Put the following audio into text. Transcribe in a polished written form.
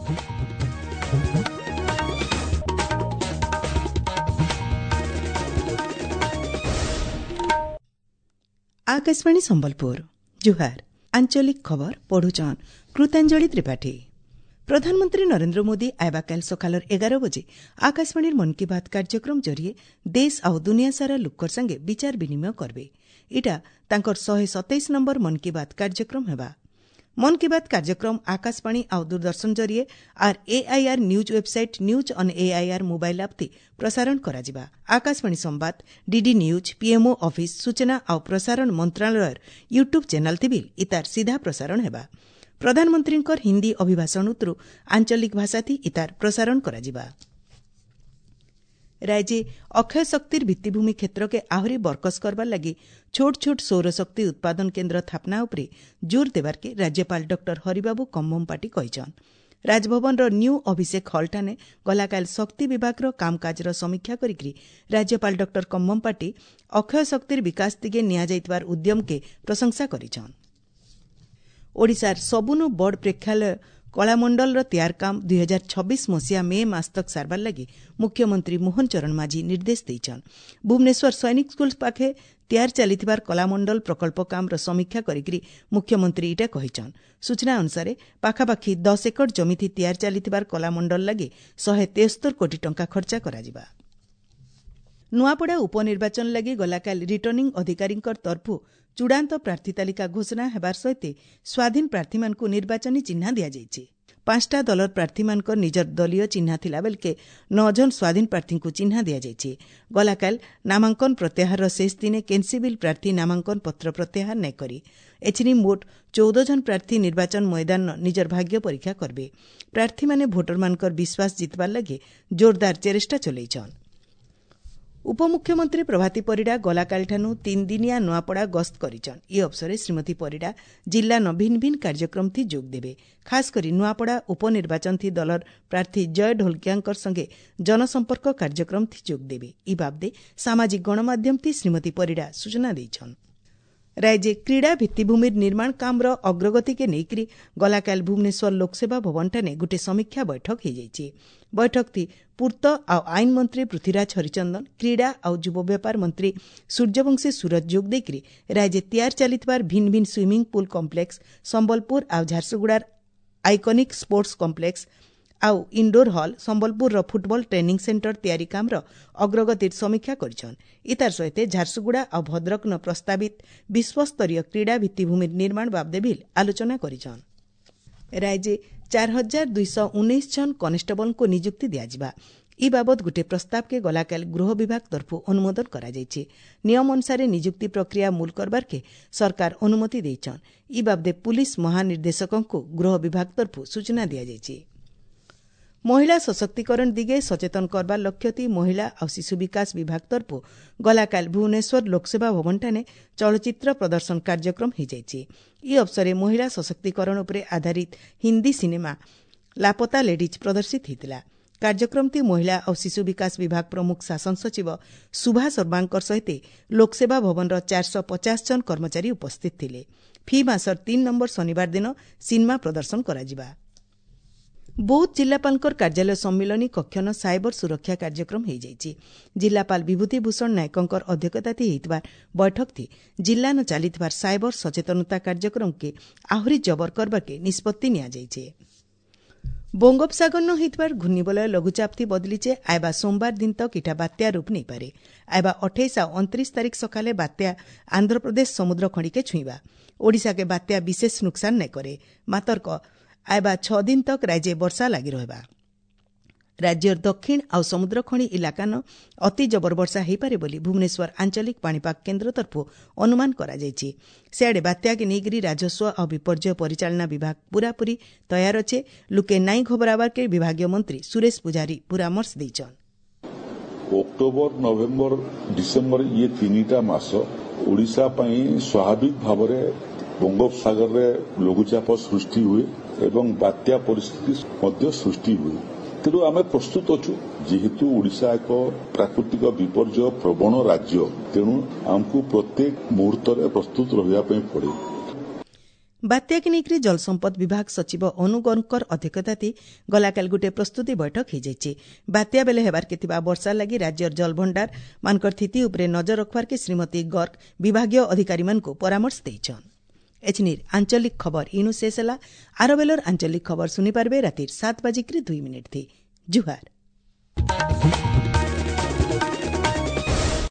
Akashvani Sambalpur ଜୁହାର। ଆଞ୍ଚଳିକ ଖବର ପଢୁଛନ୍ କୃତାଞ୍ଜଳି ତ୍ରିପାଠୀ। ପ୍ରଧାନମନ୍ତ୍ରୀ ନରେନ୍ଦ୍ର ମୋଦି ଆଇବାକାଲ ସକାଳର 11 ବଜେ ଆକାଶବାଣୀର ମନ୍ କି ବାତ୍ କାର୍ଯ୍ୟକ୍ରମ ଜରିଏ ଦେଶ ଆଉ ଦୁନିଆ ସାରା ଲୋକର ସାଙ୍ଗେ ବିଚାର ବିନିମୟ କରବେ। ଇଟା ତାଙ୍କର 127 ନମ୍ବର ମନ୍ କି ବାତ୍ କାର୍ଯ୍ୟକ୍ରମ ହେବା। ମନ୍ କି ବାତ୍ କାର୍ଯ୍ୟକ୍ରମ ଆକାଶବାଣୀ ଆଉ ଦୂରଦର୍ଶନ ଜରିଏ ଆର୍ AIR news website, news on AIR mobile app ଥି ପ୍ରସାରଣ କରାଯିବା। ଆକାଶବାଣୀ ସମ୍ବାଦ, ଡିଡି ନ୍ୟୁଜ୍, ପିଏମ୍ଓ ଅଫିସ୍, ସୂଚନା ଆଉ ପ୍ରସାରଣ ମନ୍ତ୍ରଣାଳୟର ୟୁଟ୍ୟୁବ୍ ଚ୍ୟାନେଲ୍ ଥି ବି ଇତାର ସିଧା ପ୍ରସାରଣ ହେବା। ପ୍ରଧାନମନ୍ତ୍ରୀଙ୍କର ହିନ୍ଦୀ ଅଭିଭାଷଣ ଉତରୁ ଆଞ୍ଚଳିକ ଭାଷାଥି ଇତାର ପ୍ରସାରଣ କରାଯିବା। ରାଜ୍ୟେ ଅକ୍ଷୟ ଶକ୍ତିର ଭିତ୍ତିଭୂମି କ୍ଷେତ୍ରକେ ଆହୁରି ବରକସ କରବାର ଲାଗି ଛୋଟ ଛୋଟ ସୌରଶକ୍ତି ଉତ୍ପାଦନ କେନ୍ଦ୍ର ସ୍ଥାପନା ଉପରେ ଜୋର ଦେବାର୍କେ ରାଜ୍ୟପାଳ ଡକ୍ଟର ହରିବାବୁ କମ୍ଭମପାଟି କହିଛନ୍। ରାଜଭବନର ନ୍ୟୁ ଅଭିଷେକ ହଲ୍ଠାନେ ଗଲାକାଲି ଶକ୍ତି ବିଭାଗର କାମକାଜର ସମୀକ୍ଷା କରିକି ରାଜ୍ୟପାଳ ଡକ୍ଟର କମ୍ଭମପାଟି ଅକ୍ଷୟ ଶକ୍ତିର ବିକାଶ ଦିଗେ ନିଆଯାଇଥିବାର ଉଦ୍ୟମକେ ପ୍ରଶଂସା କରିଛନ୍। ଓଡ଼ିଶାର ସବୁନୁ ବଡ଼ ପ୍ରେକ୍ଷାଳୟ କଳାମଣ୍ଡଳର ତିଆର କାମ 2026 ମସିହା ମେ ମାସ ତକ୍ ସାରବାର ଲାଗି ମୁଖ୍ୟମନ୍ତ୍ରୀ ମୋହନ ଚରଣ ମାଝୀ ନିର୍ଦ୍ଦେଶ ଦେଇଛନ୍। ଭୁବନେଶ୍ୱର ସୈନିକ ସ୍କୁଲ ପାଖେ ତିଆର ଚାଲିଥିବାର କଳାମଣ୍ଡଳ ପ୍ରକଳ୍ପ କାମର ସମୀକ୍ଷା କରିକି ମୁଖ୍ୟମନ୍ତ୍ରୀ ଇଟା କହିଛନ୍। ସୂଚନା ଅନୁସାରେ ପାଖାପାଖି 10 ଏକର ଜମିଥି ତିଆର ଚାଲିଥିବାର କଳାମଣ୍ଡଳ ଲାଗି 173 କୋଟି ଟଙ୍କା ଖର୍ଚ୍ଚ କରାଯିବା। ନୂଆପଡ଼ା ଉପନିର୍ବାଚନ ଲାଗି ଗଲାକାଲି ରିଟର୍ଣ୍ଣିଂ ଅଧିକାରୀଙ୍କ ତରଫରୁ ଚୂଡ଼ାନ୍ତ ପ୍ରାର୍ଥୀ ତାଲିକା ଘୋଷଣା ହେବାର ସହିତ ସ୍ୱାଧୀନ ପ୍ରାର୍ଥୀମାନଙ୍କୁ ନିର୍ବାଚନୀ ଚିହ୍ନା ଦିଆଯାଇଛି। 5ଟା ଦଳର ପ୍ରାର୍ଥୀମାନଙ୍କର ନିଜର ଦଳୀୟ ଚିହ୍ନା ଥିଲା ବେଳକେ 9 ଜଣ ସ୍ୱାଧୀନ ପ୍ରାର୍ଥୀଙ୍କୁ ଚିହ୍ନା ଦିଆଯାଇଛି। ଗଲାକାଲି ନାମାଙ୍କନ ପ୍ରତ୍ୟାହାରର ଶେଷ ଦିନେ କେନ୍ସି ବିଲ୍ ପ୍ରାର୍ଥୀ ନାମାଙ୍କନ ପତ୍ର ପ୍ରତ୍ୟାହାର ନାଇଁ କରି। ଏଥିନି ମୋଟ 14 ଜଣ ପ୍ରାର୍ଥୀ ନିର୍ବାଚନ ମଇଦାନ ନିଜର ଭାଗ୍ୟ ପରୀକ୍ଷା କରିବେ। ପ୍ରାର୍ଥୀମାନେ ଭୋଟରମାନଙ୍କର ବିଶ୍ୱାସ ଜିତବାର ଲାଗି ଜୋରଦାର ଚେଷ୍ଟା ଚଲେଇଛନ୍। ଉପମୁଖ୍ୟମନ୍ତ୍ରୀ ପ୍ରଭାତୀ ପରିଡ଼ା ଗଲାକାଲିଠାରୁ 3 ଦିନିଆ ନୂଆପଡ଼ା ଗସ୍ତ କରିଛନ୍। ଏ ଅବସରରେ ଶ୍ରୀମତୀ ପରିଡ଼ା ଜିଲ୍ଲାନ ଭିନ୍ନ ଭିନ୍ନ କାର୍ଯ୍ୟକ୍ରମ ଥି ଯୋଗ ଦେବେ। ଖାସ୍ କରି ନୂଆପଡ଼ା ଉପନିର୍ବାଚନ ଥି ଦଳର ପ୍ରାର୍ଥୀ ଜୟ ଢୋଲକିଆଙ୍କର ସଙ୍ଗେ ଜନସମ୍ପର୍କ କାର୍ଯ୍ୟକ୍ରମ ଥି ଯୋଗ ଦେବେ। ଇ ବାବଦେ ସାମାଜିକ ଗଣମାଧ୍ୟମ ଥି ଶ୍ରୀମତୀ ପରିଡ଼ା ସୂଚନା ଦେଇଛନ୍। ରାଜ୍ୟେ କ୍ରୀଡ଼ା ଭିତ୍ତିଭୂମିର ନିର୍ମାଣ କାମର ଅଗ୍ରଗତିକେ ନେଇକରି ଗଲାକାଲି ଭୁବନେଶ୍ୱର ଲୋକସେବା ଭବନଠାନେ ଗୋଟିଏ ସମୀକ୍ଷା ବୈଠକ ହୋଇଯାଇଛି। ବୈଠକଥି ପୂର୍ତ୍ତ ଆଉ ଆଇନ ମନ୍ତ୍ରୀ ପୃଥ୍ୱୀରାଜ ହରିଚନ୍ଦନ, କ୍ରୀଡ଼ା ଆଉ ଯୁବ ବ୍ୟାପାର ମନ୍ତ୍ରୀ ସୂର୍ଯ୍ୟବଂଶୀ ସୁରଜ ଯୋଗ ଦେଇକରି ରାଜ୍ୟେ ତିଆର ଚାଲିଥିବାର ଭିନ୍ନ ଭିନ୍ନ ସୁଇମିଂ ପୁଲ୍ କମ୍ପ୍ଲେକ୍ସ, ସମ୍ବଲପୁର ଆଉ ଝାରସୁଗୁଡ଼ାର ଆଇକନିକ୍ ସ୍ପୋର୍ଟସ କମ୍ପ୍ଲେକ୍ସ ଆଉ ଇଣ୍ଡୋର ହଲ୍, ସମ୍ବଲପୁରର ଫୁଟବଲ ଟ୍ରେନିଂ ସେଣ୍ଟର ତିଆରି କାମର ଅଗ୍ରଗତିର ସମୀକ୍ଷା କରିଛନ୍। ଇତାର ସହିତ ଝାରସୁଗୁଡ଼ା ଆଉ ଭଦ୍ରକନ ପ୍ରସ୍ତାବିତ ବିଶ୍ୱସ୍ତରୀୟ କ୍ରୀଡ଼ା ଭିତ୍ତିଭୂମି ନିର୍ମାଣ ବାବଦେ ବିଲ୍ ଆଲୋଚନା କରିଛନ୍। ରାଜ୍ୟେ 4219 ଜଣ କନେଷ୍ଟବଲଙ୍କୁ ନିଯୁକ୍ତି ଦିଆଯିବା ଇ ବାବଦ ଗୋଟିଏ ପ୍ରସ୍ତାବକେ ଗଲାକାଲି ଗୃହ ବିଭାଗ ତରଫରୁ ଅନୁମୋଦନ କରାଯାଇଛି। ନିୟମ ଅନୁସାରେ ନିଯୁକ୍ତି ପ୍ରକ୍ରିୟା ମୂଲ କରବାର୍କେ ସରକାର ଅନୁମତି ଦେଇଛନ୍। ଇ ବାବଦେ ପୁଲିସ ମହାନିର୍ଦ୍ଦେଶକଙ୍କୁ ଗୃହ ବିଭାଗ ତରଫରୁ ସୂଚନା ଦିଆଯାଇଛି। ମହିଳା ସଶକ୍ତିକରଣ ଦିଗେ ସଚେତନ କରବାର ଲକ୍ଷ୍ୟଥି ମହିଳା ଆଉ ଶିଶୁ ବିକାଶ ବିଭାଗ ତରଫରୁ ଗଲାକାଲି ଭୁବନେଶ୍ୱର ଲୋକସେବା ଭବନଠାନେ ଚଳଚ୍ଚିତ୍ର ପ୍ରଦର୍ଶନ କାର୍ଯ୍ୟକ୍ରମ ହୋଇଯାଇଛି। ଇ ଅବସରରେ ମହିଳା ସଶକ୍ତିକରଣ ଉପରେ ଆଧାରିତ ହିନ୍ଦୀ ସିନେମା ଲାପତା ଲେଡିଜ୍ ପ୍ରଦର୍ଶିତ ହୋଇଥିଲା। କାର୍ଯ୍ୟକ୍ରମଟି ମହିଳା ଆଉ ଶିଶୁ ବିକାଶ ବିଭାଗ ପ୍ରମୁଖ ଶାସନ ସଚିବ ସୁଭା ଶର୍ମାଙ୍କ ସହିତ ଲୋକସେବା ଭବନର 450 ଜଣ କର୍ମଚାରୀ ଉପସ୍ଥିତ ଥିଲେ। ଫି ମାସର 3 ନମ୍ବର ଶନିବାର ଦିନ ସିନେମା ପ୍ରଦର୍ଶନ କରାଯିବା। ବୌଦ୍ଧ ଜିଲ୍ଲାପାଳଙ୍କର କାର୍ଯ୍ୟାଳୟ ସମ୍ମିଳନୀ କକ୍ଷନ ସାଇବର ସୁରକ୍ଷା କାର୍ଯ୍ୟକ୍ରମ ହୋଇଯାଇଛି। ଜିଲ୍ଲାପାଳ ବିଭୂତି ଭୂଷଣ ନାୟକଙ୍କର ଅଧ୍ୟକ୍ଷତାଥି ହୋଇଥିବା ବୈଠକଥି ଜିଲ୍ଲାନ ଚାଲିଥିବା ସାଇବର ସଚେତନତା କାର୍ଯ୍ୟକ୍ରମକେ ଆହୁରି ଜବର କରବାକେ ନିଷ୍ପତ୍ତି ନିଆଯାଇଛି। ବଙ୍ଗୋପସାଗରନ ହୋଇଥିବାର ଘୂର୍ଣ୍ଣିବଳୟ ଲଘୁଚାପଥି ବଦଲିଛେ। ଆଇବା ସୋମବାର ଦିନ ତକ୍ ଇଟା ବାତ୍ୟା ରୂପ ନେଇପାରେ। ଆଇବା 28 ଆଉ 29 ତାରିଖ ସକାଳେ ବାତ୍ୟା ଆନ୍ଧ୍ରପ୍ରଦେଶ ସମୁଦ୍ର ଖଣିକେ ଛୁଇଁବା। ଓଡ଼ିଶାକେ ବାତ୍ୟା ବିଶେଷ ନୁକସାନ ନାଇଁ କରେ, ମାତର୍କ ଆଇବା 6 ଦିନ ତକ୍ ରାଜ୍ୟେ ବର୍ଷା ଲାଗି ରହିବା। ରାଜ୍ୟର ଦକ୍ଷିଣ ଆଉ ସମୁଦ୍ର ଖଣି ଇଲାକାନ ଅତି ଜବର ବର୍ଷା ହୋଇପାରେ ବୋଲି ଭୁବନେଶ୍ୱର ଆଞ୍ଚଳିକ ପାଣିପାଗ କେନ୍ଦ୍ର ତରଫରୁ ଅନୁମାନ କରାଯାଇଛି। ସିଆଡ଼େ ବାତ୍ୟାକେ ନେଇକରି ରାଜସ୍ୱ ଆଉ ବିପର୍ଯ୍ୟୟ ପରିଚାଳନା ବିଭାଗ ପୂରାପୂରି ତୟାର ଅଛେ। ଲୁକେ ନାଇଁ ଘବରାବାର୍କେ ବିଭାଗୀୟ ମନ୍ତ୍ରୀ ସୁରେଶ ପୂଜାରୀ ପରାମର୍ଶ ଦେଇଛନ୍। ଅକ୍ଟୋବର, ନଭେମ୍ବର, ଡିସେମ୍ବର ଇଏ 3ଟା ମାସ ଓଡ଼ିଶା ପାଇଁ ସ୍ୱାଭାବିକ ଭାବରେ ବଙ୍ଗୋପସାଗରରେ ଲଘୁଚାପ ସୃଷ୍ଟି ହୁଏ ଏବଂ ବାତ୍ୟା ପରିସ୍ଥିତି ମଧ୍ୟ ସୃଷ୍ଟି ହୁଏ। ତେଣୁ ଆମେ ପ୍ରସ୍ତୁତ ଅଛୁ। ଯେହେତୁ ଓଡ଼ିଶା ଏକ ପ୍ରାକୃତିକ ବିପର୍ଯ୍ୟୟ ପ୍ରବଣ ରାଜ୍ୟ, ତେଣୁ ଆମକୁ ପ୍ରତ୍ୟେକ ମୁହୂର୍ତ୍ତରେ ପ୍ରସ୍ତୁତ ରହିବା ପାଇଁ ପଡେ। ବାତ୍ୟାକେ ନେଇକରି ଜଳସମ୍ପଦ ବିଭାଗ ସଚିବ ଅନୁ ଗର୍ଗଙ୍କର ଅଧ୍ୟକ୍ଷତାତି ଗଲାକାଲି ଗୋଟିଏ ପ୍ରସ୍ତୁତି ବୈଠକ ହୋଇଯାଇଛି। ବାତ୍ୟା ବେଲେ ହେବାର୍କେ ଥିବା ବର୍ଷା ଲାଗି ରାଜ୍ୟର ଜଳଭଣ୍ଡାର ମାନଙ୍କର ସ୍ଥିତି ଉପରେ ନଜର ରଖବାର୍କେ ଶ୍ରୀମତୀ ଗର୍ଗ ବିଭାଗୀୟ ଅଧିକାରୀମାନଙ୍କୁ ପରାମର୍ଶ ଦେଇଛନ୍। ଏଛିନିର୍ ଆଞ୍ଚଳିକ ଖବର ଇନୁ ଶେଷ ହେଲା। ଆର ବେଲର ଆଞ୍ଚଳିକ ଖବର ଶୁଣିପାରବେ ରାତିର 7:02 ଥି। ଜୁହାର।